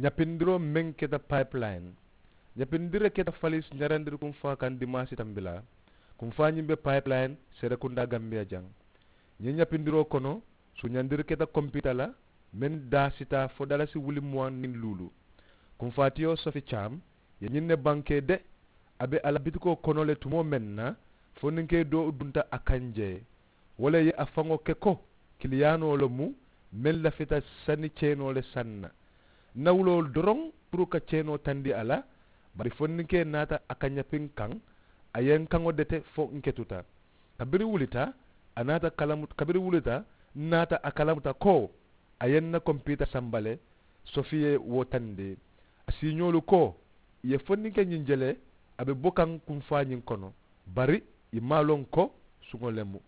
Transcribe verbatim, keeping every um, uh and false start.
Ñapindiroo meŋ keta pipeline. Ñapindire keta falis ñarandiri kunfaa kaŋ dimaasi tambilaa. Kunfaa ñiŋ be pipeline serekundaa gambiya jaŋ. Ñiŋ ñapindiroo kono suñandiri keta kompita la, meŋ daasita fo dalasi wuli muwaŋ niŋ luulu. Kunfaatiyo sofi caam ye ñiŋ ne bankee de. A be a la bitikoo kono le tumoo meŋ na, fo niŋ ke doo dunta a kaŋ jee. Wo le ye a faŋo ke ko kiliyaanoo le mu meŋ lafita sani ceenoo le saŋ na. N na wuloo doroŋ puru ka ceenoo tandi a la. Bari fo niŋ ke naata a ka ñapiŋ kaŋ, a ye n kaŋo dete fo n ketuta. Kabiri wulita a naata kalamu kabiri wulita n naata a kalamuta ko a ye n na kompiita samba le. Sofi ye wo tandi a siiñoolu ko i ye fo niŋ ke ñiŋ je le a be bo kaŋ kunfaa ñiŋ kono. Bari i maŋ a loŋ ko suŋo le mu.